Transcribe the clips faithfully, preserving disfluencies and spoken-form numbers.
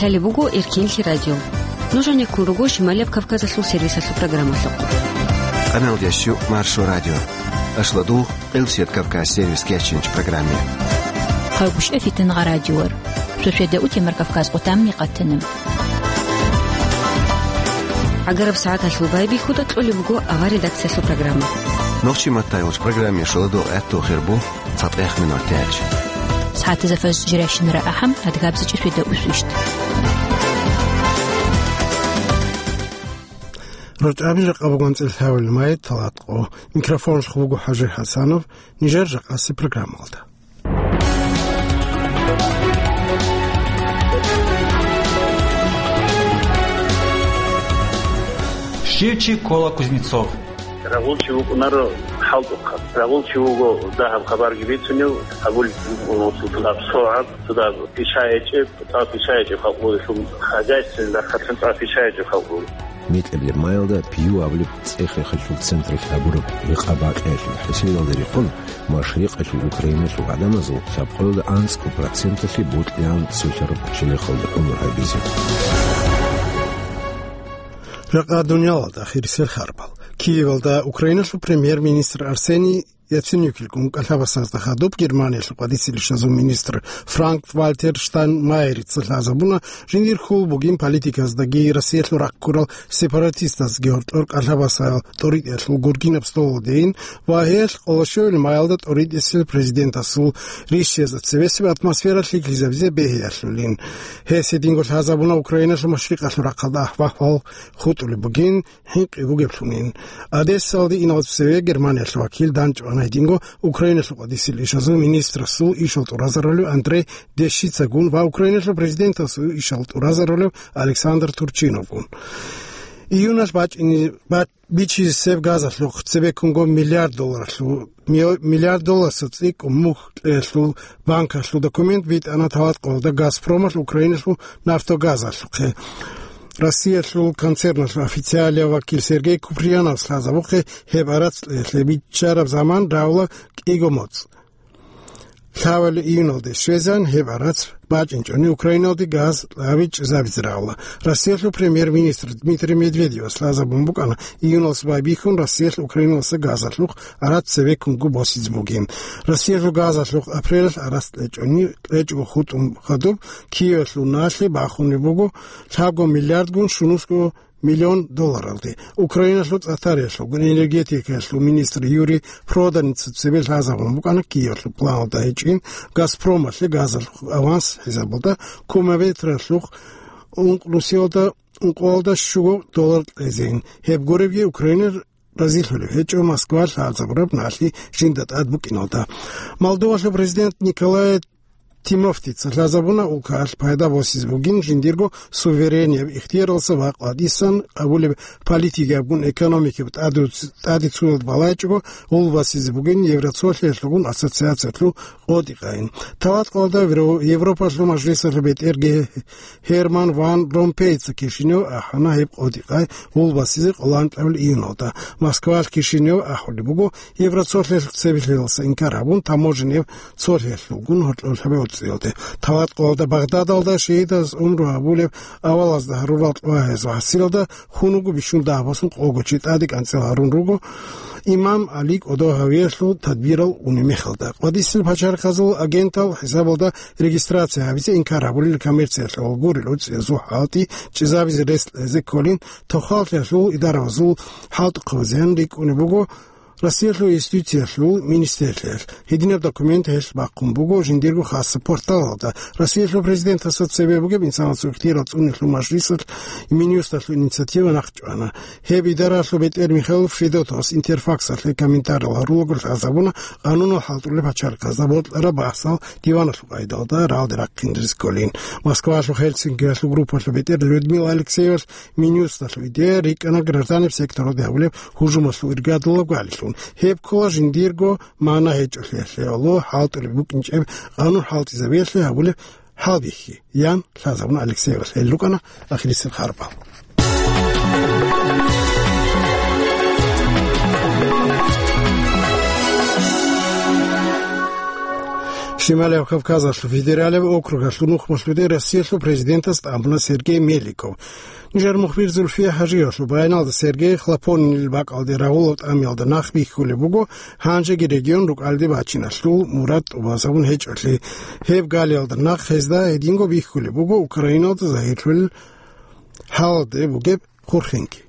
Лъалеб буго Эркенлъи радио. Нуж гьанеккун руго Шималияб Кавказалъул сервисалъул программалъухъ. Къаналда щу Маршо радио. Ашладугъ Къилсият Кавказ сервис кечинч программе. Хъагушев Фитнагъа радиор. Суседа утемар Кавказ къутамни къатана. ГӀагараб сагӀаталъул байбихьуда кьолеб буго авар редакциялъул программа. Нохчи матайулч программе шоладо гӀатту хирбу. ЦатӀехъ минут тяч. СагӀатазда фажр жирайщинара ахӀам, адгабзичӀи светда усвищ. РачӀаби жакъа бугонцӀил гьавил май талатӀо. Микрофон шху буго ХӀажи ХӀасанов, нижер жакъаси программалда. Щив чи ккола Кузнецов? Рагъул чи вукӀунаро хӀалтӀухъаб. Рагъул чи вуго дагьаб хабарги бицунев, гьабулеб буго цо гьаб согӀаб, цо гьаб пишаячӀеб, цо гьаб пишаячӀеб халкъ бугелъул хозяйственный рахъалъан цо гьаб пишаячӀеб халкъ буго. Микьабилеб майалда Пью абулеб цӀех-рехалъул централъ гьабураб гьекъа-бакъиялъул хӀисиналда рекъон, машрикъалъул Украиналъул гӀадамазул лъабкъоялда анцӀго проценталъе бутӀлъан цолъараб челехалда гӀумру гьабизе. Жакъа дуниялалда ахирисел харбал. Киевалда Украиналъул премьер-министр Арсений Яценюкилгун кӀалъабасазда хадуб Германиялъул къватӀисел ишазул министр Франк-Вальтер Штайнмайерица лъазабуна жиндир хьул бугин политиказдаги Россиялъул рахъ ккурал сепаратистаздаги гьоркьор кӀалъабасал тӀоритӀиялъул гургинаб столалдейин ва гьелъ къолошевил майалда тӀоритӀисел президентасул ришшиясда цебесеб атмосфера лъикӀлъизабизе бегьиялъулин. Гьес гьединго лъазабуна Украиналъул машрикъалъул рахъалда ахӀвал хутӀулеб бугин, хӀинкъи бугеблъунин. Одессалде иналде цеве Германиялъул вакил данчӀвана гьединго Украиналъул къватӀисел ишазул министрасул ишал тӀуразарулев Андрей Дещицагун ва Украиналъул президентасул ишал тӀуразарулев Александр Турчиновгун. Июналъ бачӀине-, бач-, бичизесеб газалъухъ цебеккунго миллиард долларалъу-, мио-, миллиард долларасул цӀикӀкӀун мухь кьеялъул банкалъул документ битӀана талатӀкъоялда Газпромалъ Украиналъул нафтогазалъухъе. Россиялъул концерналъул официалияв вакил Сергей Куприяновас лъазабухъе гьеб арац кьеялъе биччараб заман равла кӀиго моцӀ. Лъабали июналде щвезан гьеб арац бачӀинчӀони Украиналде газ кьаби чӀезабизе равла. Россиялъул премьер-министр Дмитрий Медведевас лъазабун букӀана июналъ байбихьун Россиялъ Украиналъа газалъухъ арац цевеккунго босизе бугин. Россиялъул газалъухъ апрелалъ арац кьечӀони, кьечӀого хутӀун хадуб Киевалъул налъи бахунеб буго лъабго миллиардгун щунусго миллион долларалде. Украиналъул цӀатариялъулгун энергетикаялъул министр Юрий Проданица цебе лъазабун букӀана Киевалъул планалда гьечӀин Газпромалъе газалъухъ аванс хӀисабалда кубометралъухъ ункънусиялда ункъоялда щуго доллар кьезейин. Гьеб гуребги Украина разилъулеб гьечӀо Москва лъазабураб налъи жинда тӀад букӀиналда. Молдовалъул президент Николай Тимофтица лъазабуна улкаялъ пайда босизе бугин жиндирго суверенияб ихтияралса ва къватӀисан къабулеб политикиябгун экономикаб тӀаде-, тӀаде цоялда балайчӀого гъулбасизе бугин Евроцолъиялъулгун ассоциациялъул къотӀи-къайин. Таваткъалда Евро-, Европалъул мажлисалъул бетӀерги Гьерман Ван Ромпейца Кишинев ахӀана гьеб къотӀи-къай гъулбасизе къоло анкьабил июналда. Москвалъ Кишинев ахӀулеб буго, Евроцолъиялъ цебехъ лъелалса инкар гьабун, таможенияв цолъиялъулгун гьоркьоб лъабабиц цӀиялде. Таваткъалда Багъдадалда шагьидаз гӀумру гьабулеб авалазда гьарурал тӀугьаязул хӀасилалда хьунуго бищун дагьбасун къого чи тӀаде кӀанцӀил гьарун руго, Имам Али кӀодо гьавиялъул тадбирал унеб мехалда. КъватӀисел пачарихъазул агентал хӀисабалда регистрация гьабизе инкар гьабулел коммерциялъул гурел уцӀиязул хӀалтӀи чӀезабизе рес кьезе кколин, тохаллъиялъул идаравазул хӀалтӀухъабазеян рикӀкӀунеб буго Россиялъул юстициялъул министрлъиялъ. Гьединаб документ гьелъ бахъун буго жиндирго хасаб порталалда. Россиялъул президентасда цебе бугеб инсанасул ихтияр цӀунелъул мажлисалъ Минюсталъул инициатива нахъчӀвана. Гьеб идаралъул бетӀер Михаил Федотовас Интерфаксалъе комментариял гьарулаго лъазабуна къанунал хӀалтӀулел пачарихъазда бокьараб бахӀсал диваналъул къайдалда рагӀалде рахъин рес кколин. Москвалъул Хельсинкиялъул группалъул бетӀер Людмила Алексеевалъ Минюсталъул идея рикӀкӀана гражданиб секторалде гьабулеб гьужумалъул иргадулаб гвалилъун. Гьеб ккола жиндирго магӀна гьечӀолъиялъе гӀоло хӀалтӀулеб букӀинчӀеб къанун хӀалтӀизабиялъе гьабулеб хӀалбихьи, ян лъазабуна Алексеевалъ. Гьел рукӀана ахирисел харбал. Шималияб Кавказалъул федералияб округалъул нухмалъуде Россиялъул президентас тӀамуна Сергей Меликов. Нижер мухбир Зульфия Хажиевалъул баяналда Сергей Хлопонинил бакӀалде рагъулаб тӀамиялда нах бихьулеб буго, гьанжеги регион рукӀалде бачиналъул мурад тӀубазабун гьечӀолъи. Гьеб галиялда нах гьезда гьединго бихьулеб буго Украиналда загьирлъулел гьалде бугеб хурхинги.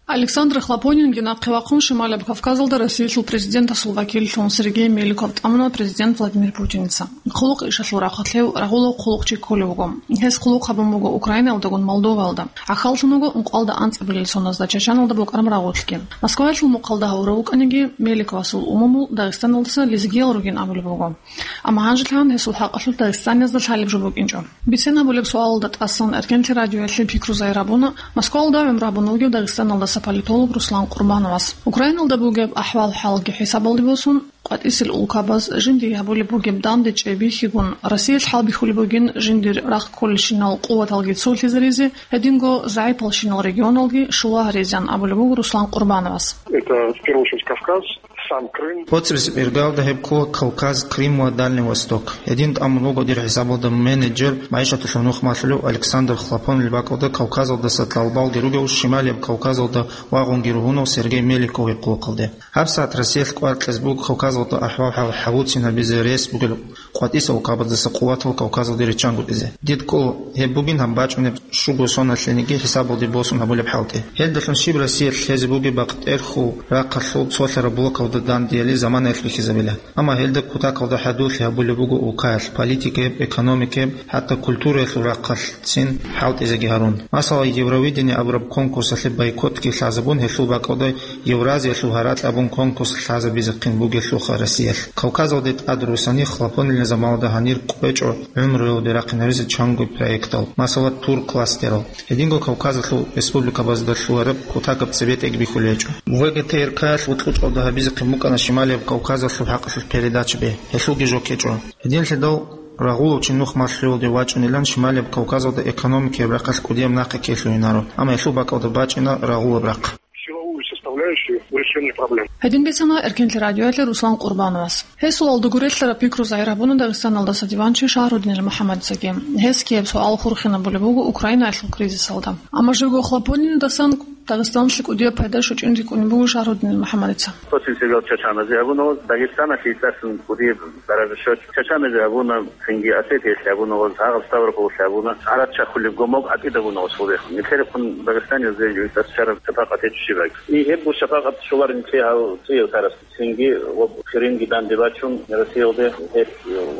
Александр Хлопонинги нахъе вахъун Шималияб Кавказалда Россиялъул президентасул вакиллъун Сергей Меликов тӀамуна президент Владимир Путиница. Хъулухъ ишалъул рахъалъев рагъулав хъулухъчи кколев вуго. Гьес хъулухъ гьабун буго Украинаялдагун Молдоваялда. ГӀахьаллъун вуго ункъоялда анцӀабилел соналда Чачаналда букӀараб рагъулъги. Москваялъул мухъалда гьавурав вукӀаниги, Меликовасул умумул Дагъистаналдаса лезгиял ругин абулеб буго. Амма гьанжелъан гьесул хӀакъалъулъ дагъистаниязда лъалеб жо букӀинчӀо. Бициналъулеб суалалда тӀасан Эркенлъи радиоялъе пикру загьир гьабуна Москваялда гӀумру гьабун вугев Дагъистаналдаса политолог Руслан Къурбановас. Украиналда бугеб ахӀвал-хӀалги хӀисабалде босун, къватӀисел улкабаз жиндие гьабулеб бугеб данде чӀей бихьигун, Россиялъ хӀалбихьулеб бугин жиндир рахъ кколелщинал къуваталги цолъизаризе, гьединго загӀипалщинал регионалги щула гьаризеян абулеб буго Руслан Къурбановас. Это в первую очередь Кавказ, сам Крым. БоцӀи-бицӀи иргалда гьеб ккола Кавказ, Крым ва Дальний Восток. Гьедин тӀамун вуго дир хӀисабалда менеджер, магӀишаталъул нухмалъулев Александр Хлопонинил бакӀалда Кавказалдаса тӀалабалги ругев Шималияб Кавказалда вагъунги ругьунав Сергей Меликовил хъулухъалде. ГьабсагӀат Россиялъ кӀвар кьезе буго Кавказалда ахӀвал-хӀал гьабуцин гьабизе рес бугел къватӀисел улкабаздаса къуватал Кавказалде риччанго кьезе. Дид кӀола гьеб бугин гьаб бачӀунеб щуго соналъениги хӀисабалде босун гьабулеб хӀалтӀи. Гьелдалъун щиб Россиялъ лъезе бугеб бакътерхул рахъалъул цолъараб блокалда дандеяли заманаялъ бихьизабила. Амма гьелда кутакалда хӀадурлъи гьабулеб буго улкаялъ политикаяб, экономикаяб, хӀатта культураялъул рахъалъцин хӀалтӀизеги гьарун. Масала, Евровидение абураб конкурсалъе бойкотги лъазабун, гьелъул бакӀалда Евразиялъул гьаракь абун конкурс лъазабизехъин бугелъулха Россиялъ. Кавказалде тӀад русани Хлопонинил заманалда гьанир кӀвечӀо гӀумруялде рахъинаризе чанго проектал, масала, тур кластерал. Гьединго Кавказалъул республикабазда лъугьараб кутакаб цебетӀеги бихьулеб гьечӀо. ВГТРК-ялъ вукьучӀалда гьабизехъин букӀана Шималияб Кавказалъул хӀакъалъулъ передачаби, гьелъулги жо ккечӀо. Гьединлъидал рагъулав чи нухмалъулде вачӀунилан Шималияб Кавказалда экономикаяб рахъалъ кӀудияб нахъе ккелъугьинаро, амма гьелъул бакӀалда бачӀина рагъулаб рахъ. Силовую составляющую в решении проблем. Гьедин бицана Эркенлъи радиоялъе Руслан Къурбановас. Гьесул алда гурелъараб пикру загьир гьабуна Дагъистаналдаса диванчи Шагьрудинил МухӀаммадицаги. Гьес ккеяб суал хурхинабулеб буго Украинаялъул кризисалда. Амма живго Хлопонинидасан Дагъистаналъе кӀудияб пайда щучӀин рикӀкӀунеб буго Шагьрудинил МухӀаммадица. После сериал Чачаназе гьабуна, Дагъистаналъе итасан кӀудияб даража щоч. Чачаназе гьабуна, цинги Осетиялъе гьабуна, гьагъаб Ставрополалъе гьабуна, гӀарад чахулеб гомоб гӀатӀидабуна условиях. Нилъерехъун Дагъистаниялъе итас чараб шапакъат гьечӀо щибаги. И гьебго шапакъат щоларин лъе гьав цӀиявтарас. Цинги ва Крымги данде бачун, Россиялде гьеб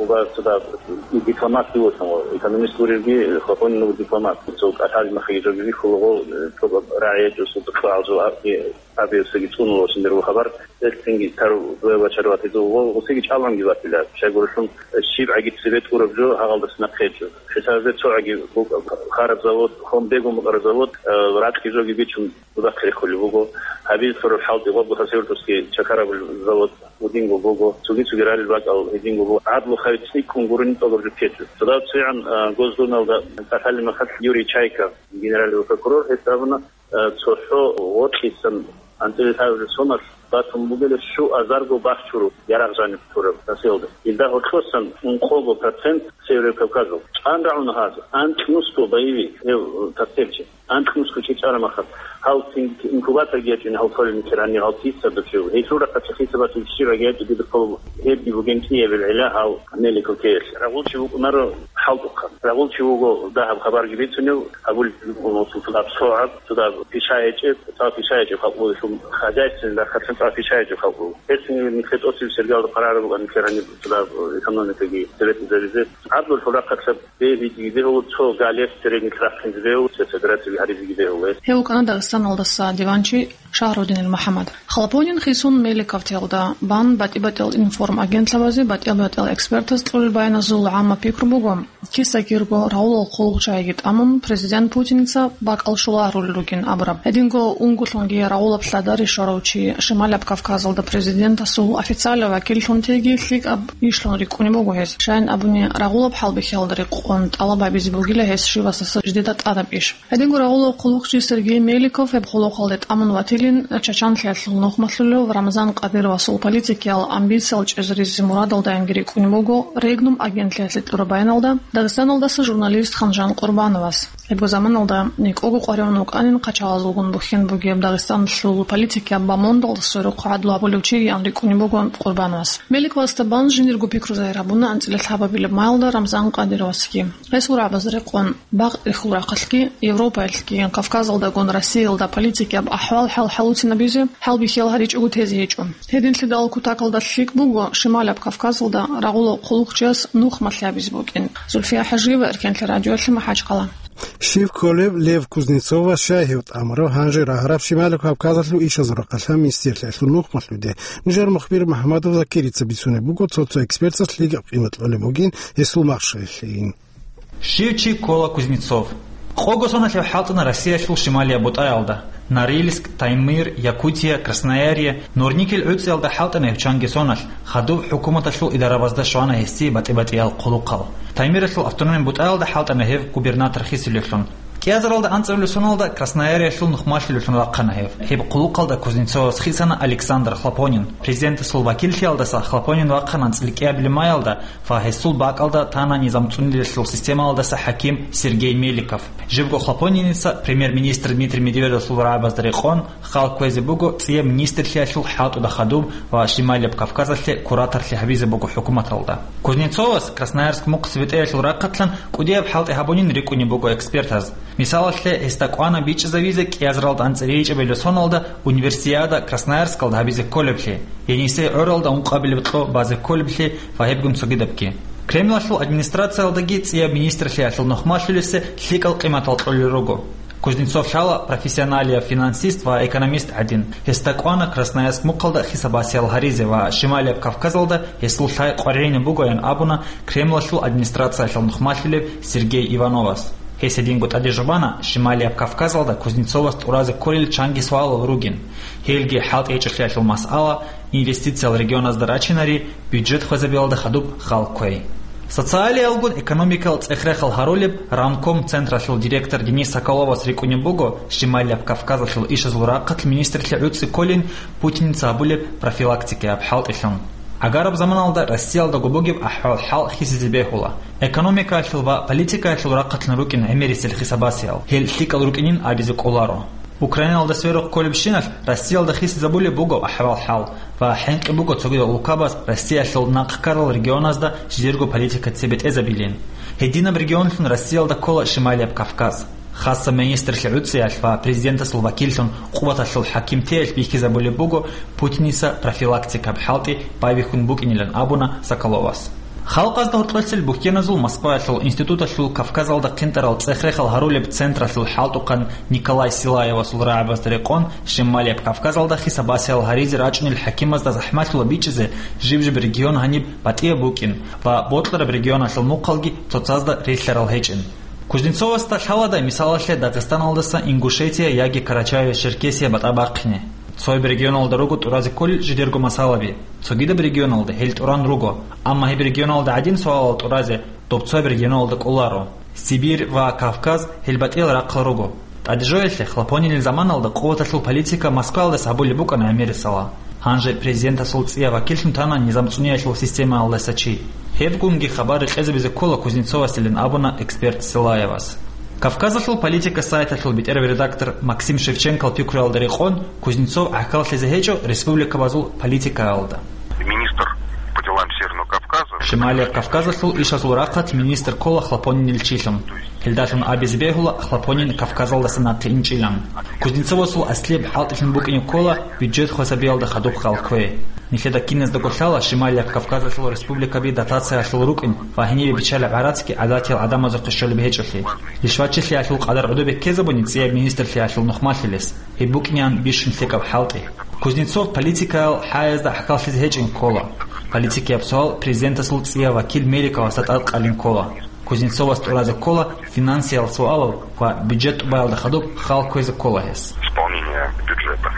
уба цода дипломат вугьун, экономист вуревги, Хлопонин вуго дипломат. Цо кӀалъаби махиги жоги вихьулаго, цо рагӀи гьечӀо, цо кьвагӀал жо абги, абиги цӀунула синдир хабар. Гьел цинги тару дуе вачар ватизе вуго, усиги чӀаланги ватила. Щайгурелъул щибгӀаги цебе тӀураб жо гьагъалдаса нахъе гьечӀо. Хисазе цогӀаги букӀа, хараб завод, хом бегун букӀараб завод, э, ракьги жоги бичун, Дуда хъирихъулеб буго. Гьабизе лъураб хӀалтӀи гъобго Хасавюртовский чакараб завод гьединго буго. Цоги-цоги ралел бакӀал гьединго буго. ГӀадлу хай цӀикӀкӀун гурони тӀолаб жо ккечӀо. Цо дагьаб цигӀан, а, Госдумалда кӀалъалеб мехалъ Юрий Чайка, генеральный прокурор, гьес абуна, а, цохӀо гъоркьисан анцӀила лъабабилеб соналъ батун бугила щуазарго бахчураб ярагъ жаниб тураб Россиялда. Илда гьоркьосан ункъого процент Северо-Кавказал. ЧӀан рагӀуна гьаз, анкьнусго боевик гьев, э, тортилчи. Анкьнусго чи чӀараб мехалъ, гьал цин инкубаторги ячӀун гьал толеб нилъер гьанир гьал тица дучев. Гьелъул рахъалъ хисабалъе щибаги гьечӀо дида хъулуб, гьебги бугин кӀиябил гӀилла гьал Меликов ккеялъе. Рагъулчи вукӀунаро хӀалтӀухъан. Рагъулчи вуго дагьаб хабарги бицунев, гьабулеб буго цо дагьаб согӀаб, цо дагьаб пиша гьечӀеб, цо пиша гьечӀеб халкъ вугелъул хозяйственный рахъалъан цо пиша гьечӀеб халкъ вуго. Гьесие нилъер тӀоцебе сериалда къарараб буган нилъер гьаниб цо дагьаб экономикаги, советизаризе. ГӀадлу лъураб рахъалъ Бегьидиги бегьула, цо галес церегни рахъинзе бегьула, цо федерациялъ гьаризеги бегьула. Гьев вукӀана Дагъистаналдаса диванчи Шагьрудинил МухӀаммад. Хлопонин хисун Меликовтиялда бан батӀи-батӀиял информагенталъабазе батӀиял-батӀиял экспертаз кьурил баяназул гӀамма пикру буго, киса-кирго рагъулал хъулухъчагӀиги тӀамун, президент Путиница бакӀал щулагьарулел ругин абураб. Гьединго унго лъунги рагъулаб лъадари щварав чи Шималаб Кавказалда президентасул официалав вакиллъун теги лъикӀаб ишлъун рикӀкӀунеб буго гьес. Щайин абуни, рагъулаб хӀалбихьиялда рекъон тӀалаб гьабизе бугила гьес щивасдаса жидеда тӀадаб иш. Гьединго рагъулав хъулухъчи Сергей Меликов Гьеб къулухъалде тӀамун ватилин, чачанлъиялъул нухмалъулев Рамзан Къадировасул политикиял амбициял чӀезаризе мурадалдаянги рикӀкӀунеб буго Регнум агентлъиялъе тӀураб баяналда, Дагъистаналдаса журналист Ханжан Къурбановас. Гьебго заманалда некӀого къваригӀун вукӀанин хъачагъазулгун бухьен бугеб Дагъистаналъул политикияб бамондалда сверухъ гӀадлу гьабулев чиян рикӀкӀунеб буго Къурбановас. Мелик Вастабан жиндирго пикру загьир гьабуна анцӀила лъабабилеб майалда Рамзан Къадировасги. Гьесул рагӀабазда рекъон, бакъ рихьул рахъалъги, Европаялъги, Кавказалдагун Россиялда политикияб ахӀвал-хӀал хӀалуцинабизе, хӀалбихьиял гьаричӀого тезе гьечӀо. Гьединлъидал кутакалда лъикӀ буго Шималаб Кавказалда рагъулав хъулухъчияс нухмалъи гьабизе букӀин. Зульфия ХӀажиева, Эркенлъи радиоялъе, МахӀачхъала. Щив кколев Лев Кузнецовас щай гьев тӀамурав гьанже рагьараб Шималаб Кавказалъул ишазул рахъалъан министрлъиялъул нухмалъуде? Нижер мухбир МахӀмадов Закирица бицунеб буго, цо-цо экспертас лъикӀаб къимат кьолеб бугин гьесул махщеллъийин. Щив чи ккола Кузнецов? Къого соналъ гьев хӀалтӀана Россиялъул шималияб бутӀаялда: Норильск, Таймыр, Якутия, Красноярье, Нурникель гӀуцӀиялда хӀалтӀана гьев чанги соналъ, хадуб хӀукуматалъул идарабазда щвана гьесие батӀи-батӀиял хъулухъал. Таймиралъул автономияб бутӀаялда хӀалтӀана гьев губернатор хисулевлъун. КӀиазаралда анцӀабилеб соналда Красноярьелъул нухмалъулевлъун вахъана гьев. Гьеб хъулухъалда Кузнецовас хисана Александр Хлопонин, президентасул вакиллъиялдаса Хлопонин вахъана анцӀила кӀиабилеб майалда ва гьесул бакӀалда тана низам цӀуниялъул системалдаса хӀаким Сергей Меликов. Живго Хлопониница премьер-министр Дмитрий Медведевасул рагӀабазда рекъон, хал кквезе буго цӀияб министрлъиялъул хӀалтӀуда хадуб ва Шималияб Кавказалъе кураторлъи гьабизе буго хӀукуматалда. Кузнецовас Красноярск мухъ цебетӀеялъул рахъалъан кӀудияб хӀалтӀи гьабунин рикӀкӀунеб буго экспертаз. Мисалалъе, гьесда кӀвана бичӀчӀизавизе кӀиазаралда анцӀила кӀиабилеб соналда Универсиада Красноярскалда гьабизе кколеблъи, Енисей гӀоралда ункъабилеб кьо базе кколеблъи ва гьебгун цогидабги. Кремлалъул администрациялдаги цӀияб министрлъиялъул нухмалъулесе лъикӀал къиматал кьолел руго. Кузнецов лъала профессионалияб финансист ва экономист гӀадин. Гьесда кӀвана Красноярск мухъалда хисаб-басиял гьаризе ва Шималияб Кавказалда гьесул лъай къваригӀинаб бугоян абуна Кремлалъул администрациялъул нухмалъулев Сергей Ивановас. Гьес гьединго тӀаде жубана Шималияб Кавказалда Кузнецовас тӀуразе кколел чанги суалал ругин. Гьелги хӀалтӀи гьечӀолъиялъул масъала, инвестициял регионазда рачинари, бюджет хвезабиялда хадуб хал кквей. Социалиялгун экономикал цӀех-рехал гьарулеб Рамком централъул директор Денис Соколовас рикӀкӀунеб буго Шималияб Кавказалъул ишазул рахъалъ министрлъи гӀуцӀи кколин Путиница гьабулеб профилактикаяб хӀалтӀилъун. ГӀагараб заманалда Россиялдаго бугеб ахӀвал-хӀал хисизе бегьула. Экономикаялъул ва политикаялъул рахъалъан рукӀин гӀемерисел хисабасиял, гьел лъикӀал рукӀинин абизе кӀоларо. Украиналда сверухъ кколебщиналъ Россиялда хисизабулеб буго ахӀвал-хӀал ва хӀинкъи буго цогидал улкабаз Россиялъул нахъ ккарал регионазда жидерго политика цебетӀезабилин. Гьединаб регионлъун Россиялда ккола Шималияб Кавказ. Хасаб министрлъи гӀуцӀиялъ ва президентасул вакиллъун къуваталъул хӀакимтеялъ бихьизабулеб буго Путиница профилактикаб хӀалтӀи байбихьун букӀинилан абуна Соколовас. Халкъазда гьоркьоцел бухьеназул Москваялъул институталъул Кавказалда хъинтӀарал цӀех-рехал гьарулеб централъул хӀалтӀухъан Николай Силаевасул рагӀабазда рекъон Шималияб Кавказалда хисабасиял гьаризе рачӀунел хӀакимазда захӀмалъула бичӀчӀизе жиб-жиб регион гьаниб батӀияб букӀин ва бокьараб регионалъул мухъалги цоцазда рилълъарал гьечӀин. Кузнецовасда лъаладай, мисалалъе, Дагъистаналдаса Ингушетия яги Карачаево-Черкесия батӀа бахъине. Цояб регионалда руго тӀуразе кколел жидерго масъалаби. Цогидаб регионалда гьел тӀуран руго. Амма гьеб регионалда гӀадин суалал тӀуразе доб цояб регионалда кӀоларо. Сибирь ва Кавказ гьел батӀиял рахъал руго. ТӀадежоялъе Хлопонинил заманалда къуваталъул политика Москваялдаса гьабулеб букӀана гӀемерисела. Гьанже президентасул цӀияб вакиллъун тана низам цӀуниялъул системаялдаса чи. Гьебгунги хабар рекъезабизе ккола Кузнецовасилан абуна эксперт Силаевас. Кавказалъул политика сайталъул бетӀерав редактор Максим Шевченкол пикруялда рекъон, Кузнецов гӀахьаллъизе гьечӀо республикабазул политикаялда. Министр по делам Северного Кавказа. Шималияб Кавказалъул ишазул рахъалъ министр ккола Хлопонинил чилъун. Гьелдалъун абизе бегьула Хлопонин Кавказалдаса нахъе инчӀилан. Кузнецовасул аслияб хӀалтӀилъун букӀине ккола бюджет хвасабиялда хадуб хал кквей. Нилъеда киназдаго лъала Шималияб Кавказалъул республикаби дотациялъул рукӀин ва гьенибе биччалеб гӀарацги гӀадатиял гӀадамазухъе щолеб гьечӀолъи. Лишвачилъиялъул къадар гӀодобе ккезабуни цӀияб министрлъиялъул нухмалъилес. Гьеб букӀинеян бищун лъикӀаб хӀалтӀи. Кузнецов политикаял хӀаязда гӀахьаллъизе гьечӀин ккола. Политикияб суал президентасул цӀияб вакил Меликовасда тӀадкъалин ккола. Кузнецовас тӀуразе ккола финансиял суалал ва бюджет тӀубаялда хадуб хал кквезе ккола гьес. Исполнение бюджета.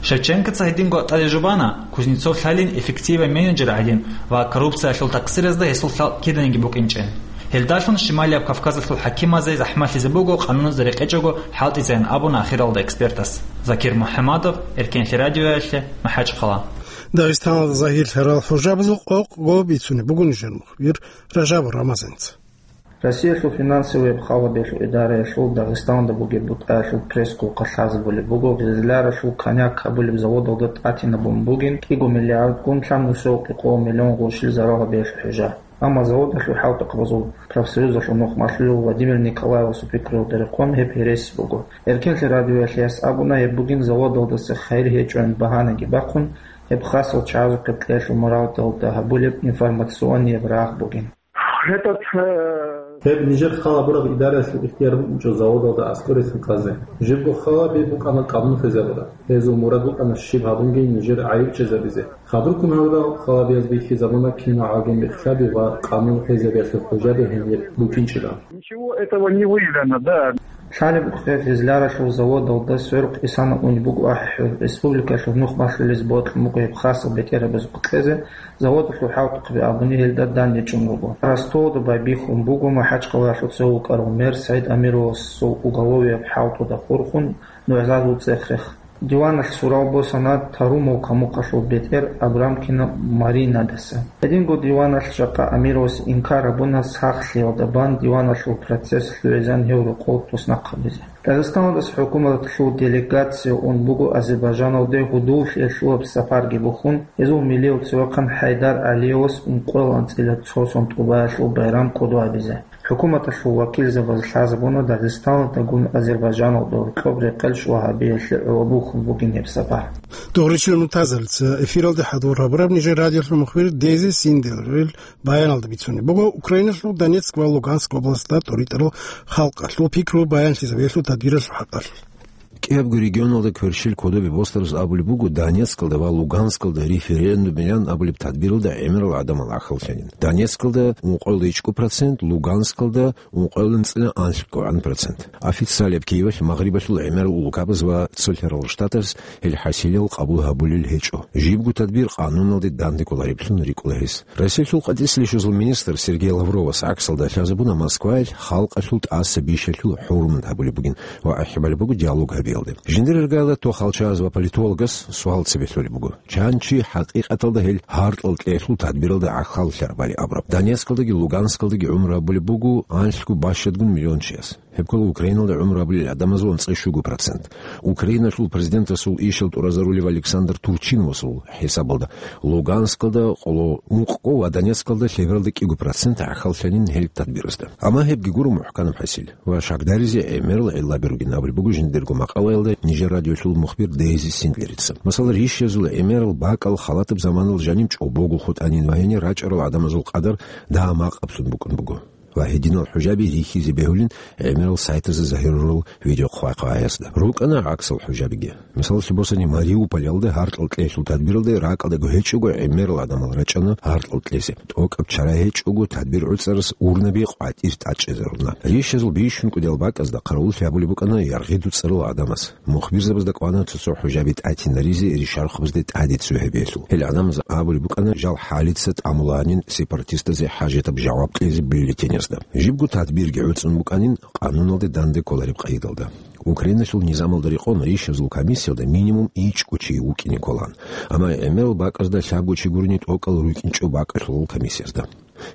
Шевченкоца гьединго тӀаде жубана, Кузнецов лъалин эффективай менеджер гӀадин ва коррупциялъул такъсиразда гьесул лъал киданиги букӀинчӀин. Гьелдалъун Шималияб Кавказалъул хӀакимазе захӀмалъизе буго къануназе рекъечӀого хӀалтӀизеян абуна ахиралда экспертас. Закир МухӀамадов, Эркенлъи радиоялъе, МахӀачхъала. Дагъистаналда загьирлъарал хӀужабазул къокъго бицунеб буго нижер мухбир Ражабов Рамазанца. Россиялъул финансовияб халабиялъул идараялъул Дагъистаналда бугеб бутӀаялъул пресс-хъулухъалъ лъазабулеб буго, Гъизляралъул Коняк гьабулеб заводалда тӀатинабун бугин кӀиго миллиардгун лъабнусев кӀикъоялда миллион гъурущил зарал гьабиялъул хӀужа. Амма заводалъул хӀалтӀухъабазул профсоюзалъул нухмалъулев Владимир Николаевасул пикруялда рекъон гьеб гьереси буго. Эркенлъи радиоялъе гьес абуна, гьеб бугин заводалдаса хайир гьечӀоян багьанаги бахъун, гьеб хасал чагӀазухъе кьеялъул муралдалда гьабулеб информационияб рагъ бугин. Этот, э, Гьеб нижер хал гьабураб идараялъул ихтияр букӀинчӀо заводалда аскӀор рецин кьазе. Жибго халаби букӀана къанун хвезабураб. Гьезул мурад букӀана щиб гьабунги нижер гӀайиб чӀезабизе. Хадурккун гьавурал халабияз бихьизабуна кинал гӀалгим бихьаби ва къанун хвезабиялъул хӀужаби гьениб букӀинчӀила. Ничего этого не выявлено, да. Лъалеб къе Гъизляралъул заводалда сверухъ исана унеб буго ахӀи-хӀур, республикалъул нухмалъулез бокьун буго гьеб хасал бетӀерабазухъе кьезе, заводалъул хӀалтӀухъаби абуни гьелда дандечӀун руго. Ростовалда байбихьун буго МахӀачхъалаялъул цо вукӀарав мэр СагӀид Амировасул уголовияб хӀалтӀуда хурхун нугӀзазул цӀех-рех. Диваналъ сурал босана Тарумовка мухъалъул бетӀер Абрамкина Маринадаса. Гьединго диваналъ жакъа Амировас инкар гьабуна сахлъиялда бан диваналъул процесс лъугӀизан гьев рокъов туснахъ гьабизе. Дагъистаналдаса хӀукуматалъул делегация ун буго Азербайджаналде гьудуллъиялъулаб сапарги бухьун, гьезул милиявцевахъан ХӀайдар ГӀалиевас ункъоялда анцӀила цо сон тӀубаялъул байрам кӀодо гьабизе. ХӀукуматалъул вакилзабаз лъазабуна Дагъистаналдагун Азербайджаналда гьоркьоб рекъел щвалъ гьабиялъе гӀоло бухьун бугин гьеб сапар. Дугъричил мутазалца эфиралде хӀадур гьабураб нижер радиолъул мухбир Дези Синдерил баяналда бицунеб буго Украиналъул Донецк ва Луганск областалда тӀоритӀарал халкъалъул пикру баянлъизабиялъул тадбиралъул хӀакъалъулъ. КӀиябго регионалда кверщел кодобе босдарас абулеб буго, Донецкалда ва Луганскалда референдумилан абулеб тадбиралда гӀемерал гӀадамал гӀахьаллъанин. Донецкалда ункъоялда ичӀго процент, Луганскалда ункъоялда анцӀила анлъго процент. Официалияб Киевалъ Магърибалъул гӀемерал улкабаз ва цолъарал штатаз гьел хӀасилел къабул гьабулел гьечӀо. Жибго тадбир къануналде данде кколареблъун рикӀкӀула гьес. Россиялъул къватӀисел рещтӀинабазул министр Сергей Лавровас гӀаксалда лъазабуна Москваялъ халкъалъул тӀаса бищалъул хӀурмат гьабулеб бугин ва ахӀи балеб буго диалог гьабиялде. Жиндир иргаялда тохалчагӀаз ва политологаз суал цебе лъолеб буго: чан чи хӀакъикъаталда гьел гьаркьал кьеялъул тадбиралда гӀахьаллъарабали абураб? Донецкалдаги Луганскалдаги гӀумру гьабулеб буго анлъго бащадгун миллион чияс. Гьеб ккола Украиналда гӀумру гьабулел гӀадамазул анцӀила щуго процент. Украиналъул президентасул ишал тӀуразарулев Александр Турчиновасул хӀисабалда, Луганскалда къоло ункъго ва Донецкалда лъебералда кӀиго процент гӀахьаллъанин гьел тадбиразда. Амма гьебги гуро мухӀканаб хӀасил ва шагьдаризе гӀемерал гӀиллаби ругин абулеб буго жиндирго макъалаялда нижер радиолъул мухбир Дейзи Синдлерица. Масала, рищазул гӀемерал бакӀал халатаб заманалда жаниб чӀобого хутӀанин ва гьенир рачӀарал гӀадамазул къадар дагьа макъаблъун букӀун буго. Ва гьединал хӀужаби рихьизе бегьулин гӀемерал сайтазда загьирурал видеохъвай-хъваязда. РукӀана гӀаксал хӀужабиги. Мисалалъе босани, Мариуполалда гьаркьал кьеялъул тадбиралда ракӀалдаго гьечӀого гӀемерал гӀадамал рачӀана гьаркьал кьезе. ТӀокӀаб чара гьечӀого тадбир гӀуцӀарас урнаби къватӀир тӀадчӀезаруна. Рищазул бищун кӀудиял бакӀазда хъаравуллъи гьабулеб букӀана яргъи дуцӀарал гӀадамаз. Мухбирзабазда кӀвана цо-цо хӀужаби тӀатинаризе ришархабазде тӀаде цо гьабиялъул. Гьел гӀадамаз абулеб букӀана жал хӀалица тӀамуланин сепаратистазе хӀажатаб жаваб кьезе бюллетенязда. Жибго тадбирги гӀуцӀун букӀанин къануналде данде кколареб къайдалда. Украиналъул низамалда рекъон рищазул комиссиялда минимум ичӀго чи вукӀине кколаан. Амма гӀемерал бакӀазда лъабго чи гурони тӀокӀал рукӀинчӀо бакӀалъулал комиссиязда.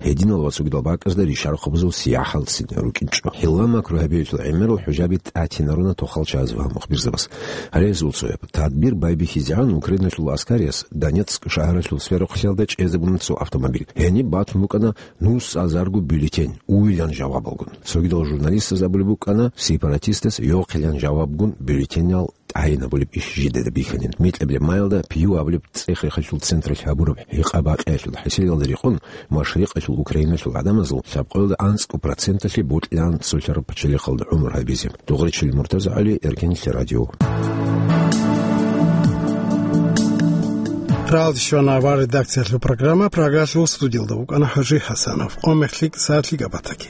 Гьединал ва цогидал бакӀазда ришархабазул сияхӀалцин рукӀинчӀо. Гьелла макру гьабиялъул гӀемерал хӀужаби тӀатинаруна тохалчагӀаз ва мухбирзабаз. Гьале гьезул цояб тадбир байбихьизегӀан Украиналъул аскарияс Донецк шагьаралъул сверухълъиялда чӀезабуна цо автомобиль. Гьениб батун букӀана нусазарго бюллетень, уйилан жавабалгун. Цогидал журналистаз абулеб букӀана сепаратистас йохъилан жавабгун бюллетенял тӀагӀинабулеб иш жидеда бихьанин. Микьабилеб майалда Пью абулеб цӀех-рехалъул централъ гьабураб гьикъа-бакъиялъул хӀисиялда рекъон, машрикъалъул Украиналъул гӀадамазул лъабкъоялда анцӀго проценталъе бокьилаан цолъараб пачалихъалда гӀумру гьабизе. Дугъричил МуртазагӀали, Эркенлъи радио. Ралде щвана авар редакциялъул программа, Прагалъул студиялда вукӀана ХӀажи ХӀасанов. Къо мехлъи сагӀатлъи габатаги.